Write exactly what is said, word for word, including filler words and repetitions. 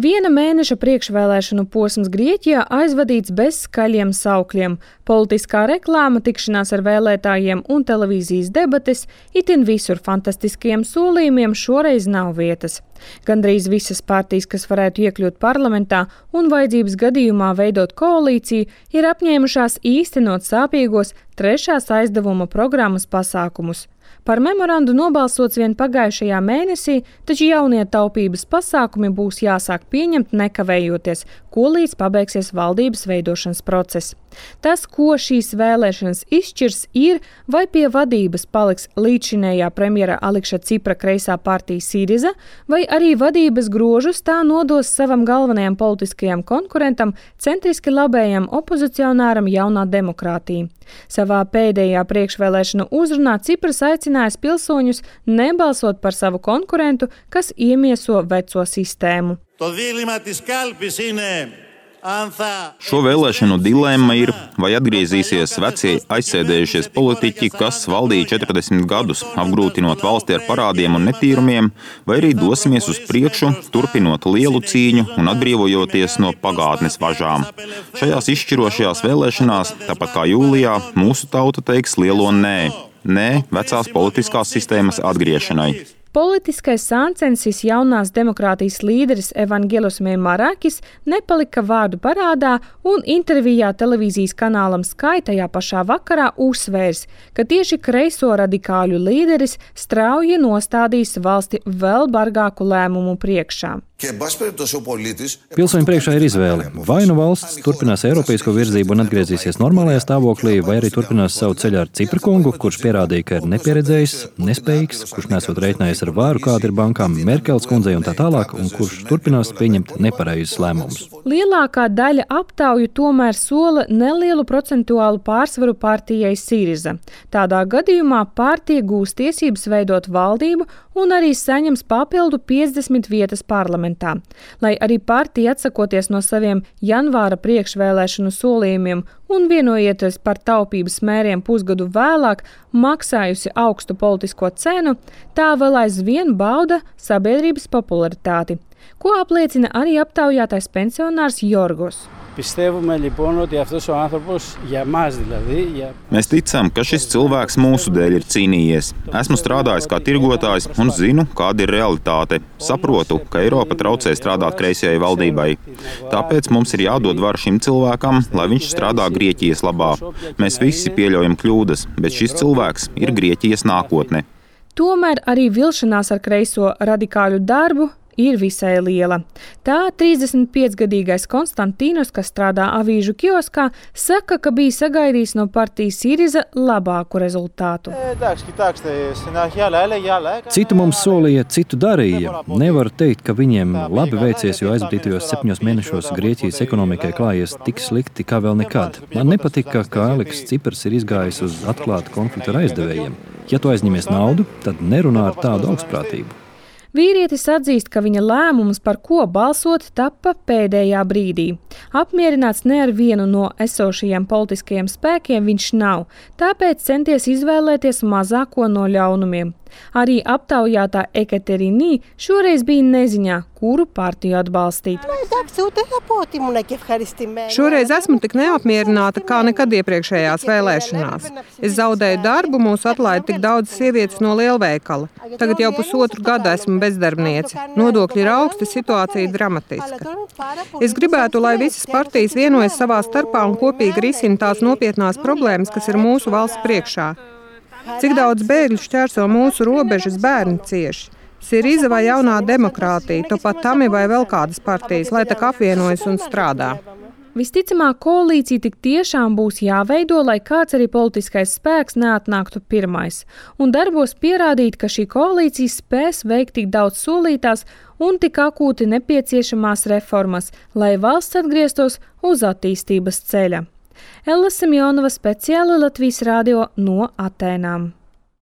Viena mēneša priekšvēlēšanu posms Grieķijā aizvadīts bez skaļiem saukļiem. Politiskā reklāma, tikšanās ar vēlētājiem un televīzijas debates, itin visur fantastiskiem solījumiem šoreiz nav vietas. Gandrīz visas partijas, kas varētu iekļūt parlamentā un vajadzības gadījumā veidot koalīciju, ir apņēmušās īstenot sāpīgos trešās aizdevuma programmas pasākumus. Par memorandu nobalsots vien pagājušajā mēnesī, taču jaunie taupības pasākumi būs jāsāk pieņemt nekavējoties, ko līdz pabeigsies valdības veidošanas process. Tas, ko šīs vēlēšanas izšķirs, ir, vai pie vadības paliks līdzšinējā premjera Alikša Cipra kreisā partija Siriza, vai arī vadības grožus tā nodos savam galvenajam politiskajam konkurentam, centriski labējam opozicionāram Jaunā demokrātija. Savā pēdējā priekšvēlēšanu uzrunā Cipras aicinājis pilsoņus nebalsot par savu konkurentu, kas iemieso veco sistēmu. Šo vēlēšanu dilemma ir, vai atgriezīsies vecie aizsēdējušies politiķi, kas valdīja četrdesmit gadus, apgrūtinot valsti ar parādiem un netīrumiem, vai arī dosimies uz priekšu, turpinot lielu cīņu un atbrīvojoties no pagātnes važām. Šajās izšķirošajās vēlēšanās, tāpat kā jūlijā, mūsu tauta teiks lielo nē. Nē vecās politiskās sistēmas atgriešanai. Politiskais sāncensis Jaunās demokrātijas līderis Evangelos Meimarakis nepalika vārdu parādā un intervijā televīzijas kanālam Sky tajā pašā vakarā uzsvērs, ka tieši kreiso radikāļu līderis strauji nostādīs valsti vēl bargāku lēmumu priekšā. Pilsoņu priekšā ir izvēle. Vai nu valsts turpinās eiropeisko virzību un atgriezīsies normālajā stāvoklī, vai arī turpinās savu ceļu ar Cipra kungu, kurš pierādīja, ka ir nepieredzējis, nespējīgs, kurš nesot reiķinājies ar vāru, kāda ir bankām, Merkels kundzei un tā tālāk, un kurš turpinās pieņemt nepareizus lēmumus. Lielākā daļa aptauju tomēr sola nelielu procentuālu pārsvaru partijai Siriza. Tādā gadījumā partija gūs tiesības veidot valdību un arī saņems papildu piecdesmit vietas parlamentā. Lai arī partija atsakoties no saviem janvāra priekšvēlēšanu solījumiem un vienojoties par taupības mēriem pusgadu vēlāk, maksājusi augstu politisko cenu, tā vēl aizvien bauda sabiedrības popularitāti, ko apliecina arī aptaujātais pensionārs Jorgos. Mēs ticam, ka šis cilvēks mūsu dēļ ir cīnījies. Esmu strādājis kā tirgotājs un zinu, kāda ir realitāte. Saprotu, ka Eiropa traucē strādāt kreisajai valdībai. Tāpēc mums ir jādod varu šim cilvēkam, lai viņš strādā Grieķijas labā. Mēs visi pieļaujam kļūdas, bet šis cilvēks ir Grieķijas nākotne. Tomēr arī vilšanās ar kreiso radikāļu darbu ir visai liela. Tā trīsdesmit piecgadīgais Konstantīnos, kas strādā avīžu kioskā, saka, ka bija sagaidījis no partijas Siriza labāku rezultātu. Citu mums solīja, citu darīja. Nevaru teikt, ka viņiem labi veicies, jo aizvadītajos septiņos mēnešos Grieķijas ekonomikai klājies tik slikti kā vēl nekad. Man nepatika, ka Alikšs Ciprs ir izgājis uz atklātu konfliktu ar aizdevējiem. Ja tu aizņemies naudu, tad nerunā ar tādu augstprātību. Vīrietis atzīst, ka viņa lēmums, par ko balsot, tappa pēdējā brīdī. Apmierināts ne ar vienu no esošajiem politiskajiem spēkiem viņš nav, tāpēc centies izvēlēties mazāko no ļaunumiem. Arī aptaujātā Ekaterīnī šoreiz bija neziņā, kuru partiju atbalstīt. Šoreiz esmu tik neapmierināta kā nekad iepriekšējās vēlēšanās. Es zaudēju darbu, mūs atlaida tik daudz sievietes no lielveikala. Tagad jau pusotru gadu esmu bezdarbniece. Nodokļi ir augsti, situācija dramatiska. Es gribētu, lai visas partijas vienojas savā starpā un kopīgi risina tās nopietnās problēmas, kas ir mūsu valsts priekšā. Cik daudz bēgļu šķērso mūsu robežas, bērni cieši. Siriza vai Jaunā demokrātija, to pat Tami vai vēl kādas partijas, lai tak apvienojas un strādā. Visticamāk, koalīcija tik tiešām būs jāveido, lai kāds arī politiskais spēks neatnāktu pirmais, un darbos pierādīt, ka šī koalīcija spēs veikt tik daudz solītās un tik akūti nepieciešamās reformas, lai valsts atgrieztos uz attīstības ceļa. Ella Semjonova, speciāli Latvijas radio no Atēnām.